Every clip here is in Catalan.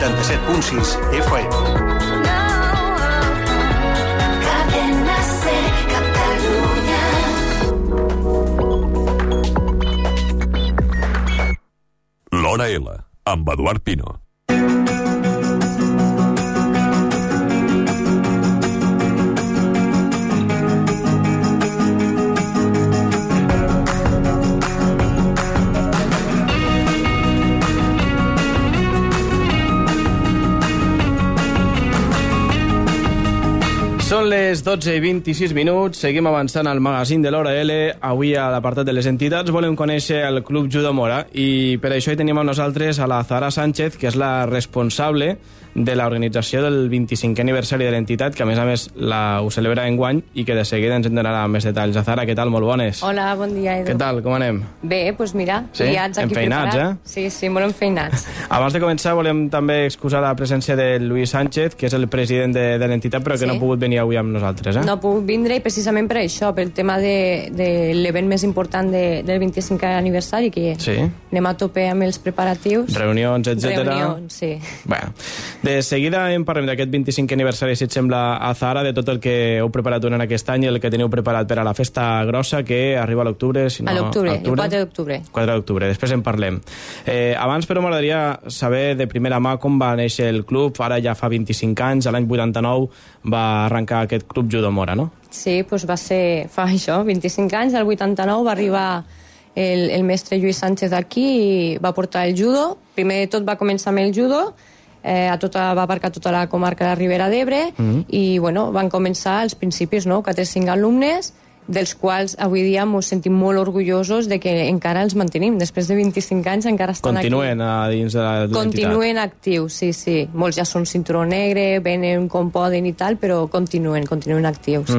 87.6 FM. L'Hora L, amb Eduard Pino. Són les 12:26, seguim avançant al magazín de l'Hora L. Avui a l'apartat de les entitats volem conèixer el Club Judo Mora i per això hi tenim amb nosaltres a la Zahara Sánchez, que és la responsable de l'organització del 25è aniversari de l'entitat, que a més ho celebra enguany i que de seguida ens en donarà més detalls. Zahara, què tal? Molt bones. Hola, bon dia, Edu. Què tal? Com anem? Bé, doncs mira, sí? liats aquí enfeinats, preparats. Sí, molt enfeinats. Abans de començar volem també excusar la presència de Lluís Sánchez, que és el president de l'entitat, però que no ha pogut venir avui amb nosaltres. No ha pogut vindre i precisament per això, pel tema de l'event més important del 25è aniversari, que anem a tope amb els preparatius. Reunions, etc. Reunions, sí. Bueno, de seguida parlem d'aquest 25è aniversari, si et sembla, a Zahara, de tot el que heu preparat durant aquest any i el que teniu preparat per a la festa grossa, que arriba a l'octubre. Si no, a l'octubre, el 4 d'octubre. 4 d'octubre, després en parlem. Abans, però, m'agradaria saber de primera mà com va néixer el club. Ara ja fa 25 anys, l'any 89 va arrencar aquest Club Judo Mora, no? Sí, doncs va ser fa això, 25 anys, el 89 va arribar el mestre Lluís Sánchez aquí i va portar el judo. Primer de tot va començar amb el judo, va abarcar tota la comarca de la Ribera d'Ebre i bueno, van començar als principis 4 o 5 alumnes, dels quals avui dia ens sentim molt orgullosos de que encara els mantenim. Després de 25 anys encara estan Continuen aquí. Dins de l'entitat. Continuen actius, sí. Molts ja són cinturó negre, venen com poden i tal, però continuen actius.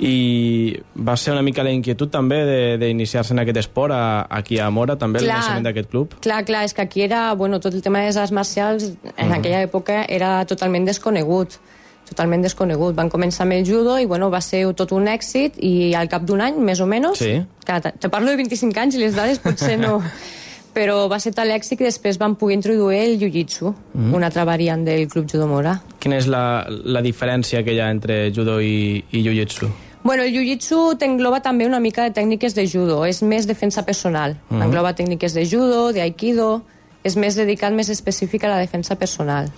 I va ser una mica la inquietud també d'iniciar-se en aquest esport aquí a Mora, també, el naixement d'aquest club? Clar, és que aquí era, tot el tema de les arts marcials en aquella època era totalment desconegut. Van començar amb el judo i va ser tot un èxit i al cap d'un any, més o menys, te parlo de 25 anys i les dades potser no, però va ser tal èxit que després van poder introduir el jiu-jitsu, una altra variant del Club Judo Mora. Quina és la diferència que hi ha entre judo i jiu-jitsu? Bueno, el jiu-jitsu t'engloba també una mica de tècniques de judo, és més defensa personal, engloba tècniques de judo, d'aikido, és més dedicat, més específic a la defensa personal.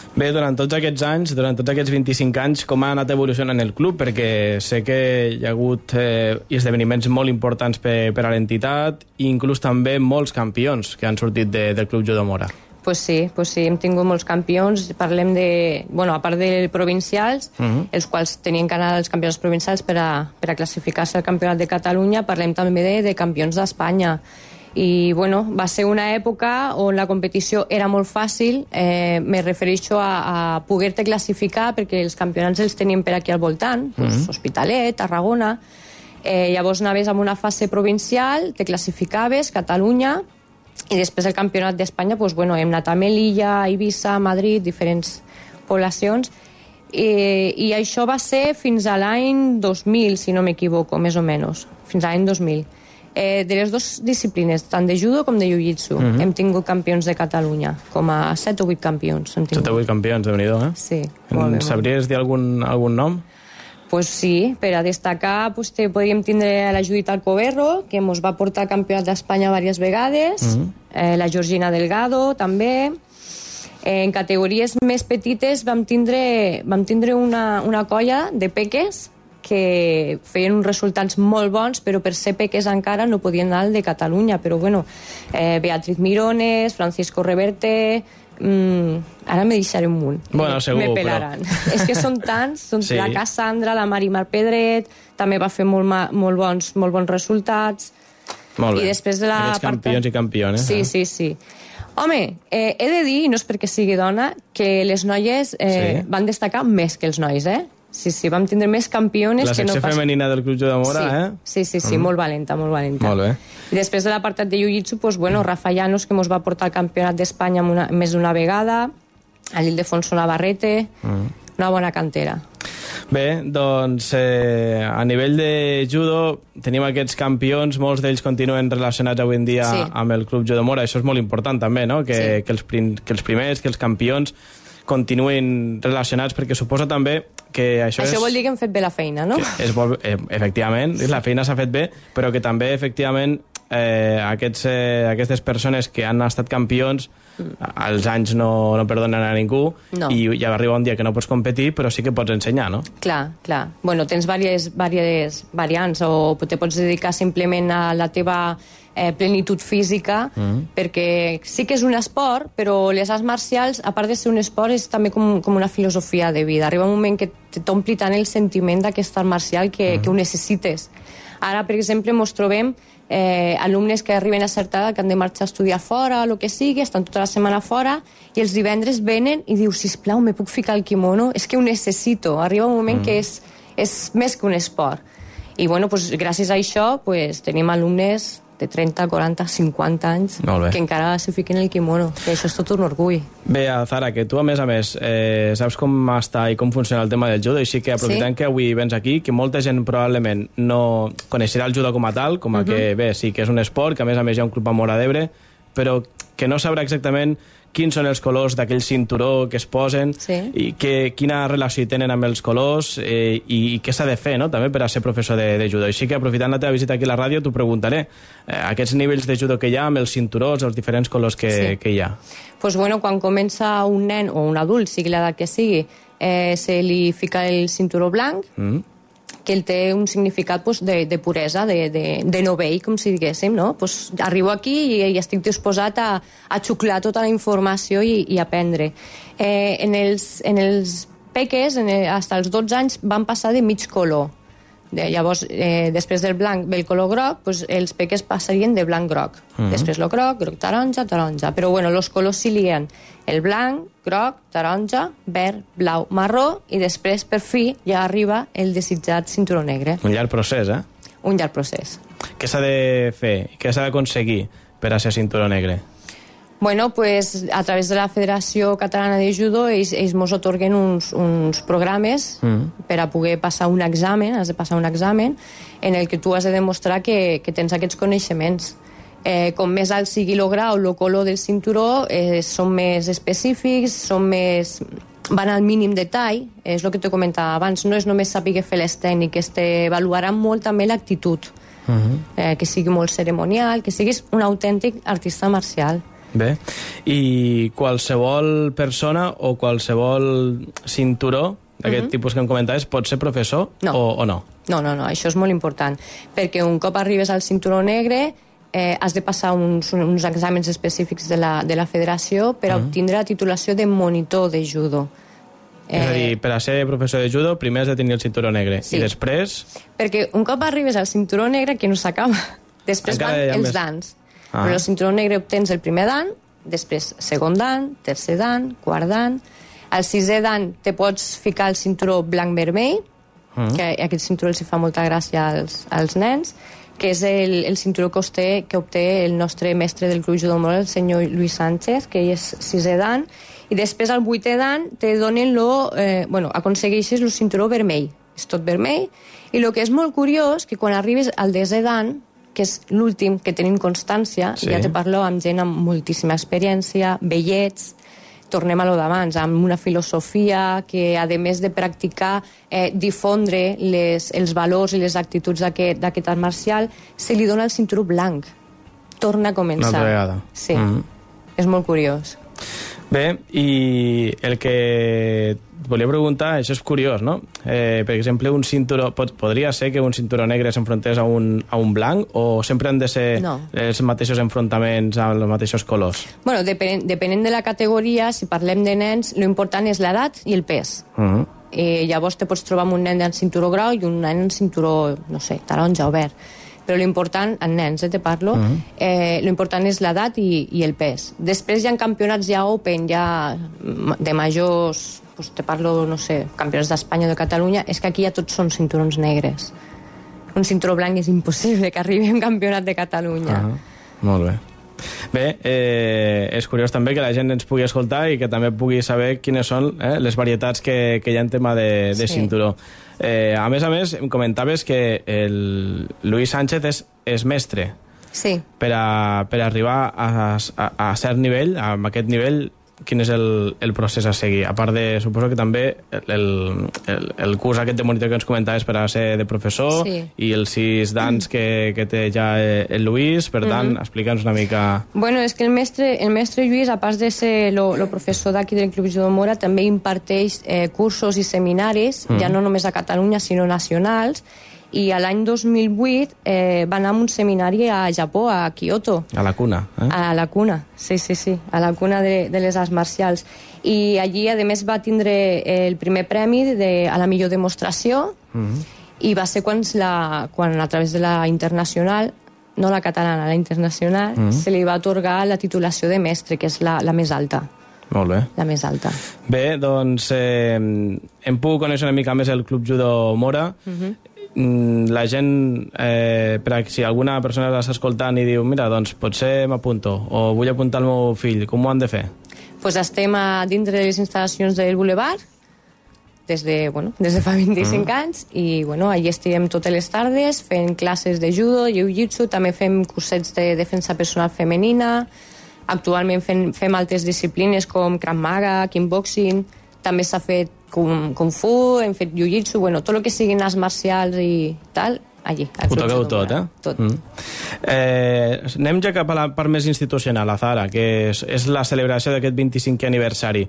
Bé, durant tots aquests anys, durant tots aquests 25 anys, com ha anat evolucionant el club? Perquè sé que hi ha hagut esdeveniments molt importants per a l'entitat i inclús també molts campions que han sortit del Club Judo Mora. Pues sí, hem tingut molts campions. Parlem de, a part de provincials, els quals tenien que anar als campionats provincials per a classificar-se al Campionat de Catalunya, parlem també de campions d'Espanya. I va ser una època on la competició era molt fàcil, me refereixo a poder-te classificar perquè els campionats els tenim per aquí al voltant, Hospitalet, Tarragona, llavors anaves amb una fase provincial, te classificaves, Catalunya, i després el campionat d'Espanya hem anat a Melilla, Eivissa, Madrid, diferents poblacions, i això va ser fins a l'any 2000, si no m'equivoco, més o menys, fins a l'any 2000. De les dues disciplines, tant de judo com de jiu-jitsu, hem tingut campions de Catalunya, com a 7 o 8 campions. 7 o 8 campions, Déu-n'hi-do, eh? Sí, molt bé. Sabries dir algun nom? Pues sí, per a destacar podríem tindre la Judit Alcoberro, que ens va portar al Campionat d'Espanya diverses vegades, la Georgina Delgado, també. En categories més petites vam tindre una colla de peques que feien uns resultats molt bons, però per ser peques encara no podien anar al de Catalunya. Però Beatriz Mirones, Francisco Reverte, ara me deixaré un munt. Segur, me pelaran. És que són tants, la Cassandra, la Marimar Pedret, també va fer molt bons resultats. Molt bé, i després de aquests campions i campiones. Sí. Home, he de dir, no és perquè sigui dona, que les noies van destacar més que els nois, Sí, vam tindre més campiones que no pas... La secció femenina del Club Judo Mora, Sí, molt valenta. Molt bé. I després de l'apartat de jiu-jitsu, Rafa Llanos, que ens va portar al Campionat d'Espanya més d'una vegada, a l'Ildefonso Navarrete, una bona cantera. Bé, doncs a nivell de judo tenim aquests campions, molts d'ells continuen relacionats avui en dia amb el Club Judo Mora. Això és molt important també, no? Que els primers, que els campions continuïn relacionats, perquè suposa també que això vol dir que hem fet bé la feina, no? Efectivament, la feina s'ha fet bé, però que també, efectivament, aquestes persones que han estat campions, els anys no perdonen a ningú, i ja arriba un dia que no pots competir, però sí que pots ensenyar, no? Clar. Bueno, tens diverses variants, o te pots dedicar simplement a la teva plenitud física, perquè sí que és un esport, però les arts marcials, a part de ser un esport, és també com una filosofia de vida. Arriba un moment que t'ompli tant el sentiment d'aquest art marcial que ho necessites. Ara, per exemple, ens trobem alumnes que arriben a certa edat, que han de marxar a estudiar fora, o el que sigui, estan tota la setmana fora, i els divendres venen i diu, sisplau, me puc ficar el kimono? És que ho necessito. Arriba un moment que és més que un esport. I, bueno, pues, gràcies a això, pues, tenim alumnes de 30, 40, 50 anys que encara se fiquen el kimono, que això és tot un orgull. Bé, Zara, que tu a més saps com està i com funciona el tema del judo, així que aprofitant que avui vens aquí, que molta gent probablement no coneixerà el judo com a tal, com a que bé, sí que és un esport, que a més hi ha un club a Móra d'Ebre, però que no sabrà exactament quins són els colors d'aquell cinturó que es posen i quina relació tenen amb els colors i què s'ha de fer, no?, també per a ser professor de judo. Així que aprofitant la teva visita aquí a la ràdio t'ho preguntaré, aquests nivells de judo que hi ha amb els cinturons, els diferents colors que hi ha. Pues bueno, quan comença un nen o un adult, sigui l'edat que sigui, se li fica el cinturó blanc, que ell té un significat de puresa, de novell, com si diguéssim, no? Pues arribo aquí i estic disposat a xuclar tota la informació i aprendre. En els peques, fins als 12 anys, van passar de mig color. Llavors, després del blanc ve el color groc, pues, els peques passarien de blanc-groc. Després el groc, taronja, taronja. Però bueno, els colors s'hi lien el blanc, groc, taronja, verd, blau, marró, i després, per fi, ja arriba el desitjat cinturó negre. Un llarg procés, eh? Un llarg procés. Què s'ha de fer? Què s'ha d'aconseguir per a ser cinturó negre? Bueno, pues a través de la Federació Catalana de Judo ells mos otorguen uns programes per a poder passar un examen, has de passar un examen en el que tu has de demostrar que tens aquests coneixements. Com més alt sigui el grau, el color del cinturó, són més específics, van al mínim detall, és el que t'he comentat abans, no és només saber fer les tècniques, t'avaluaran molt també l'actitud, que sigui molt cerimonial, que siguis un autèntic artista marcial. Bé, i qualsevol persona o qualsevol cinturó d'aquest tipus que em comentaves pot ser professor o no? No, això és molt important, perquè un cop arribes al cinturó negre has de passar uns exàmens específics de la federació per obtindre la titulació de monitor de judo. És a dir, per a ser professor de judo primer has de tenir el cinturó negre i després... Perquè un cop arribes al cinturó negre que no s'acaba, després van els dans. Però el cinturó negre obtens el primer dan, després segon dan, tercer dan, quart dan. Al sisè dan te pots ficar el cinturó blanc-vermell, que aquest cinturó els fa molta gràcia als nens, que és el cinturó que obté el nostre mestre del Club Judo Mora, el senyor Luis Sánchez, que ell és sisè dan, i després al vuitè dan te donen aconsegueixes el cinturó vermell, és tot vermell, i el que és molt curiós, que quan arribes al desè dan, que és l'últim que tenim constància, ja te parlo amb gent amb moltíssima experiència, vellets, tornem a lo d'abans, amb una filosofia que, a més de practicar, difondre els valors i les actituds d'aquest art marcial, se li dona el cinturó blanc. Torna a començar. Una altra vegada. Sí, és molt curiós. Bé, i el que volia preguntar, això és curiós, no? Per exemple, un cinturó... Podria ser que un cinturó negre s'enfrontés a un blanc o sempre han de ser els mateixos enfrontaments amb els mateixos colors? Bueno, depenent de la categoria, si parlem de nens, l'important és l'edat i el pes. Llavors te pots trobar amb un nen en cinturó grau i un nen en cinturó, no sé, taronja o verd. Però l'important, en nens, te parlo, l'important és l'edat i el pes. Després hi ha campionats ja open, ja de majors, te parlo, no sé, campionats d'Espanya o de Catalunya, és que aquí ja tots són cinturons negres. Un cinturó blanc és impossible que arribi a un campionat de Catalunya. Molt bé. Bé, és curiós també que la gent ens pugui escoltar i que també pugui saber quines són les varietats que hi ha en tema de cinturó. A més, em comentaves que el Luis Sánchez és mestre. Sí. Per arribar a cert nivell, a aquest nivell, quin és el procés a seguir? A part de, suposo que també el curs aquest de monitor que ens comentaves per a ser de professor, sí, i els 6 d'ans que té ja el Lluís, per tant, explica'ns una mica... Bueno, és que el mestre Lluís, a part de ser el professor d'aquí del Club Judo Mora, també imparteix cursos i seminaris, ja no només a Catalunya, sinó nacionals, i a l'any 2008 va anar a un seminari a Japó, a Kyoto. A la cuna, A la cuna, sí, a la cuna de les arts marcials. I allí, a més, va tindre el primer premi a la millor demostració, i va ser quan a través de la internacional, no la catalana, la internacional, se li va atorgar la titulació de mestre, que és la més alta. Molt bé. La més alta. Bé, doncs hem pogut conèixer una mica més el Club Judo Mora. La gent, si alguna persona l'està escoltant i diu, mira, doncs potser m'apunto, o vull apuntar el meu fill, com ho han de fer? Pues estem dintre de les instal·lacions del Boulevard des de fa 25 anys, i allí estem totes les tardes fent classes de judo, jiu-jitsu, també fem cursets de defensa personal femenina, actualment fem altres disciplines com Krav Maga, kickboxing, també s'ha fet Kung Fu, hem fet jiu-jitsu, tot el que siguin arts marcials i tal, allí. Ho toqueu tot, Tot. Anem ja cap a la part més institucional, a Zara, que és la celebració d'aquest 25è aniversari.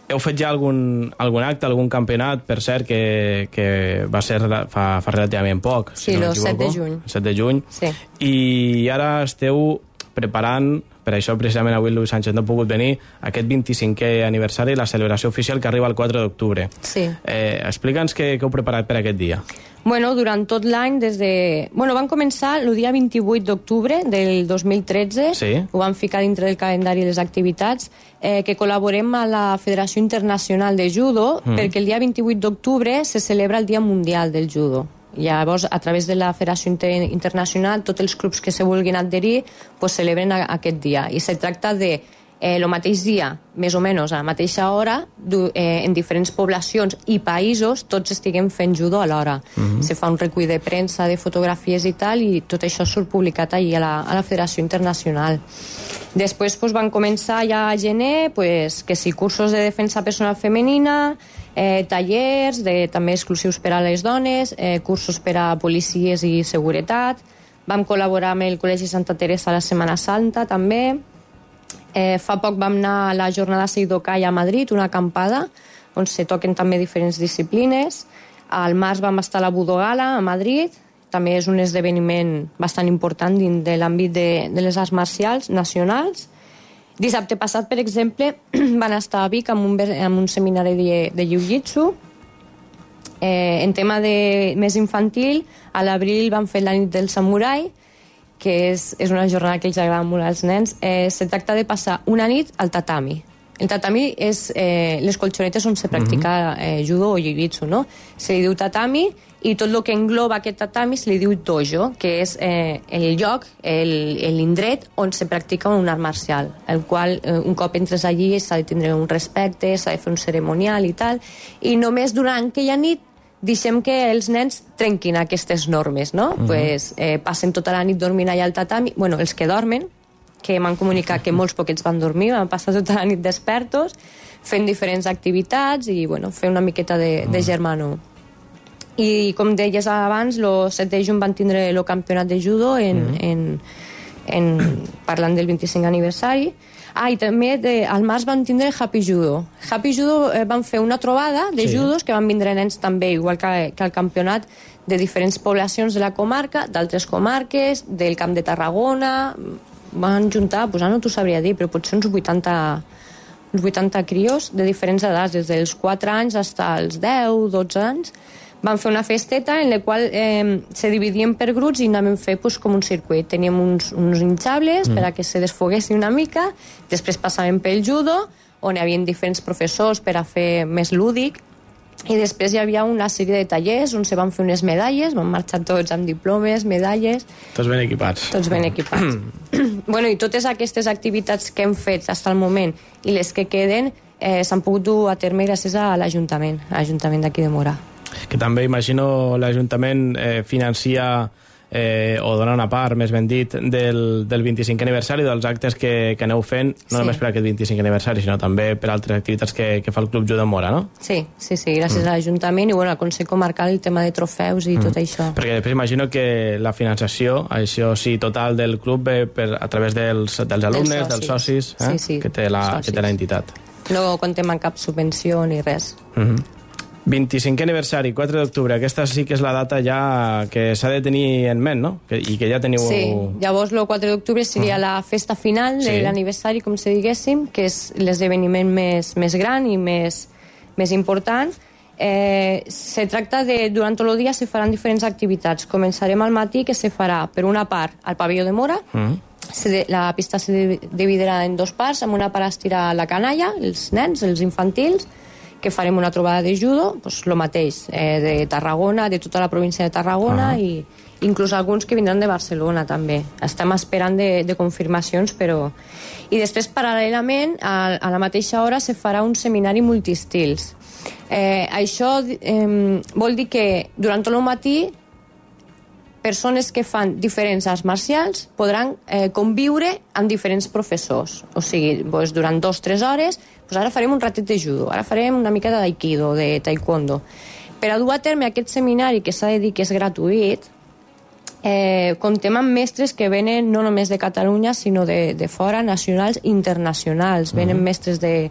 Heu fet ja algun acte, algun campionat, per cert, que va ser fa relativament poc? Sí, el 7 de juny. El 7 de juny. Sí. I ara esteu preparant, per això precisament avui el Luis Sánchez no ha pogut venir, aquest 25è aniversari, la celebració oficial que arriba el 4 d'octubre. Sí. Explica'ns què heu preparat per aquest dia. Durant tot l'any, van començar el dia 28 d'octubre del 2013, sí, ho van ficar dintre del calendari de les activitats, que col·laborem a la Federació Internacional de Judo, perquè el dia 28 d'octubre se celebra el Dia Mundial del Judo. Llavors, a través de la Federació Internacional, tots els clubs que se vulguin adherir celebren aquest dia. I se tracta de el mateix dia, més o menys a la mateixa hora, en diferents poblacions i països, tots estiguem fent judo alhora. Se fa un recull de premsa, de fotografies i tal, i tot això surt publicat allí a la Federació Internacional. Després van començar ja a gener, que sí, cursos de defensa personal femenina, tallers també exclusius per a les dones, cursos per a policies i seguretat. Vam col·laborar amb el Col·legi Santa Teresa a la Setmana Santa també. Fa poc vam anar a la jornada Seidokai a Madrid, una acampada on se toquen també diferents disciplines. Al març vam estar a la Budogala a Madrid, també és un esdeveniment bastant important dins de l'àmbit de les arts marcials nacionals. Dissabte passat, per exemple, van estar a Vic amb un seminari de jiu-jitsu. En tema més infantil, a l'abril van fer la nit del samurai, que és una jornada que els agrada molt als nens. Se tracta de passar una nit al tatami. El tatami és les colxonetes on se practica judo o jiu-jitsu, no? Se li diu tatami, i tot el que engloba aquest tatami se li diu dojo, que és el lloc, l'indret on se practica un art marcial, el qual un cop entres allí s'ha de tindre un respecte, s'ha de fer un ceremonial i tal, i només durant aquella nit deixem que els nens trenquin aquestes normes, no? Passen tota la nit dormint allà al tatami, els que dormen, que m'han comunicat que molts poquets van dormir, van passar tota la nit despertos, fent diferents activitats i fer una miqueta de germanor. I com deies abans, el 7 de juny van tindre el campionat de judo parlant del 25 aniversari. I també al març van tindre Happy Judo. Happy Judo van fer una trobada de judos que van vindre nens també, igual que al campionat, de diferents poblacions de la comarca, d'altres comarques, del Camp de Tarragona. Van juntar, no t'ho sabria dir, però potser uns 80 crios de diferents edats, des dels 4 anys fins als 10, 12 anys. Van fer una festeta en la qual se dividien per grups i anàvem a fer com un circuit. Teníem uns hinchables per a que se desfoguessin una mica, després passàvem pel judo, on hi havia diferents professors per a fer més lúdic, I després hi havia una sèrie de tallers on se van fer unes medalles, van marxar tots amb diplomes, medalles... Tots ben equipats. Tots ben equipats. Bueno, i totes aquestes activitats que hem fet fins al moment i les que queden s'han pogut dur a terme gràcies a l'Ajuntament d'aquí de Mora. Que també, imagino, l'Ajuntament financia o dona una part, més ben dit, del 25è aniversari, dels actes que aneu fent, no només per aquest 25è aniversari, sinó també per altres activitats que fa el Club Judo Mora, no? Sí, gràcies a l'Ajuntament i al Consell Comarcal, el tema de trofeus i tot això. Perquè després imagino que la finançació, això sí, total del club ve a través dels alumnes, dels socis, que té l'entitat. No contem amb cap subvenció ni res. 25è aniversari, 4 d'octubre, aquesta sí que és la data ja que s'ha de tenir en ment, no? I que ja teniu... Sí, llavors el 4 d'octubre seria la festa final de l'aniversari, com si diguéssim, que és l'esdeveniment més gran i més important. Se tracta de, durant tot el dia se faran diferents activitats. Començarem al matí, que se farà, per una part, al pavelló de Mora. La pista se dividirà en dues parts, amb una part estirà la canalla, els nens, els infantils, que farem una trobada de judo, doncs el mateix, de Tarragona, de tota la província de Tarragona, i inclús alguns que vindran de Barcelona també. Estem esperant de confirmacions, però... I després, paral·lelament, a la mateixa hora se farà un seminari multistils. Això vol dir que durant tot el matí persones que fan diferents arts marcials podran conviure amb diferents professors. O sigui, doncs, durant 2-3 hores, doncs ara farem un ratet de judo, ara farem una mica d'aikido, de taekwondo. Per a dur a terme aquest seminari, que s'ha de dir que és gratuït, comptem amb mestres que venen no només de Catalunya, sinó de fora, nacionals i internacionals. Venen mestres de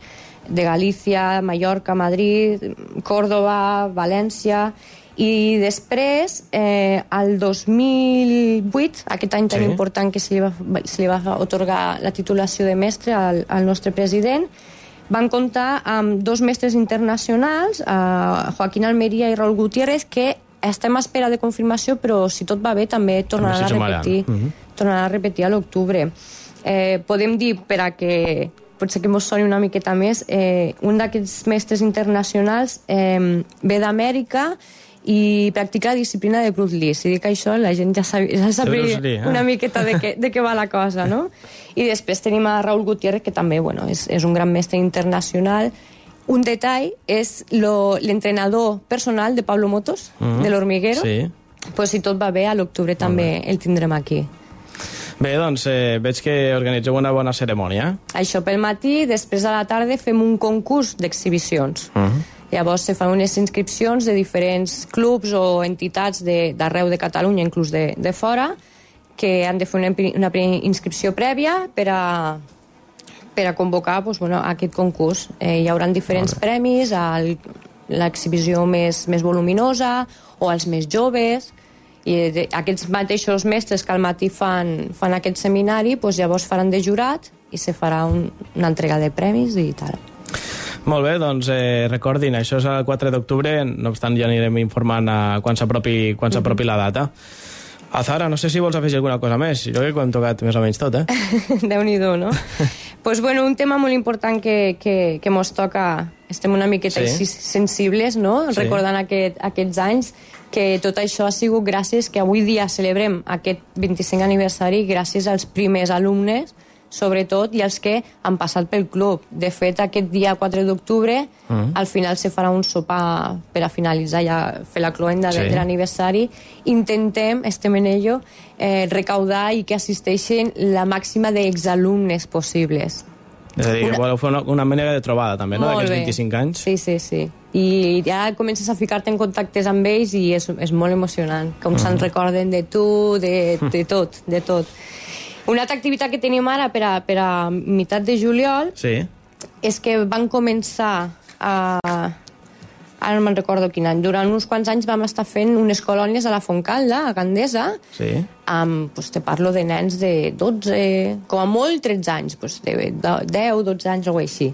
Galícia, Mallorca, Madrid, Córdoba, València... I després, el 2008, aquest any tan important que se li va atorgar la titulació de mestre al nostre president, van comptar amb 2 mestres internacionals, Joaquín Almería i Raúl Gutiérrez, que estem a espera de confirmació, però si tot va bé també tornaran a repetir a l'octubre. Podem dir, per a que potser que mos soni una miqueta més, un d'aquests mestres internacionals ve d'Amèrica i practica la disciplina de Bruce Lee. Si dic això, la gent ja sabria una miqueta de què va la cosa, no? I després tenim a Raúl Gutiérrez, que també és un gran mestre internacional. Un detall és l'entrenador personal de Pablo Motos, de l'Hormiguero. Pues si tot va bé, a l'octubre també el tindrem aquí. Bé, doncs veig que organitzeu una bona cerimònia. Això pel matí, després a la tarda fem un concurs d'exhibicions. Llavors se fan unes inscripcions de diferents clubs o entitats d'arreu de Catalunya, inclús de fora, que han de fer una inscripció prèvia per a convocar aquest concurs. Hi haurà diferents premis, a l'exhibició més voluminosa o als més joves, i aquests mateixos mestres que al matí fan aquest seminari, llavors faran de jurat i se farà una entrega de premis i tal. Molt bé, doncs recordin, això és el 4 d'octubre, no obstant ja anirem informant quan s'apropi la data. Azahara, no sé si vols afegir alguna cosa més, jo crec que ho hem tocat més o menys tot, Déu-n'hi-do, no? Pues bueno, un tema molt important que mos toca, estem una miqueta sensibles, no? Recordant aquests anys, que tot això ha sigut gràcies que avui dia celebrem aquest 25è aniversari gràcies als primers alumnes, sobretot, i els que han passat pel club. De fet, aquest dia 4 d'octubre, al final se farà un sopar per a finalitzar, ja fer la cloenda de l'aniversari. Intentem, estem en ello, recaudar i que assisteixin la màxima d'exalumnes possibles. És a dir, que voleu fer una manera de trobada, també, no?, d'aquests 25 anys. Sí. I ja comences a ficar-te en contactes amb ells i és molt emocionant, com se'n recorden de tu, de tot. Una altra activitat que tenim ara per a meitat de juliol és que van començar ara no me'n recordo quin any, durant uns quants anys vam estar fent unes colònies a la Fontcalda, a Gandesa, amb, te parlo de nens de 12, com a molt 13 anys, de 10, 12 anys o així.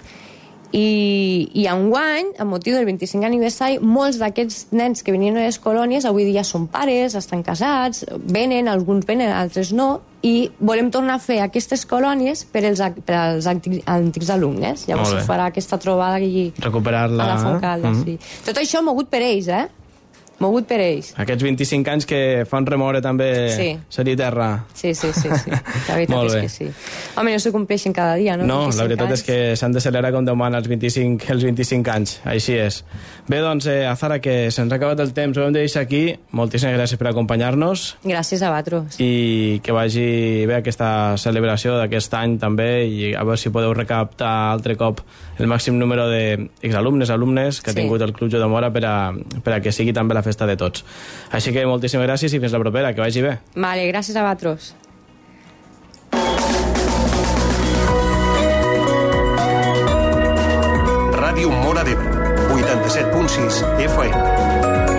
I enguany, amb motiu del 25 aniversari, molts d'aquests nens que venien a les colònies avui dia són pares, estan casats, venen, alguns venen, altres no, i volem tornar a fer aquestes colònies per als antics alumnes. Llavors es farà aquesta trobada allí recuperar-la, a la Fontcalda. Sí. Tot això mogut per ells, mogut per ells. Aquests 25 anys que fan remoure també cel i terra. Sí. La veritat és que sí. Home, no se compleixen cada dia, no? No, la veritat és que s'han de celebrar com Déu mana els 25 anys. Així és. Bé, doncs, Azara, que se'ns ha acabat el temps, ho hem de deixar aquí. Moltíssimes gràcies per acompanyar-nos. Gràcies a vosaltres. I que vagi bé aquesta celebració d'aquest any també, i a veure si podeu recaptar altre cop el màxim número d'exalumnes que ha tingut el Club Judomora per a que sigui també la festa de tots. Així que moltíssimes gràcies i fins la propera, que vagi bé. Vale, gràcies a vosaltres. Ràdio Móra d'Ebre, 87.6 FM.